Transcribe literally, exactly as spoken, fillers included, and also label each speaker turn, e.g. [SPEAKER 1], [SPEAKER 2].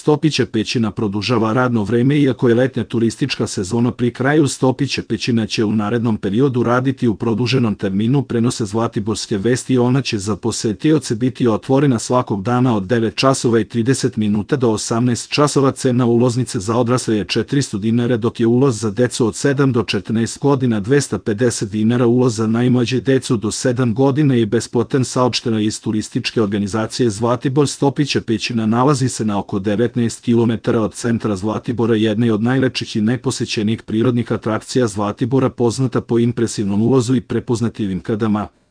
[SPEAKER 1] Stopiće pećina produžava radno vreme iako je letnja turistička sezona pri kraju. Stopiće pećina će u narednom periodu raditi u produženom terminu, prenose Zlatiborske vesti. Ona će za posetioce biti otvorena svakog dana od devet časova i trideset minuta do osamnaest časova. Cena ulaznice za odrasle je četiristo dinara, dok je ulaz za decu od sedam do četrnaest godina dvesta pedeset dinara. Ulaz za najmlađe decu do sedam godina je besplatan, saopšteno iz turističke organizacije Zlatibor. Stopiće pećina nalazi se na oko devetnaest kilometara od centra Zlatibora, jedna je od najlepših i najposećenijih prirodnih atrakcija Zlatibora, poznata po impresivnom ulazu i prepoznatljivim kadama.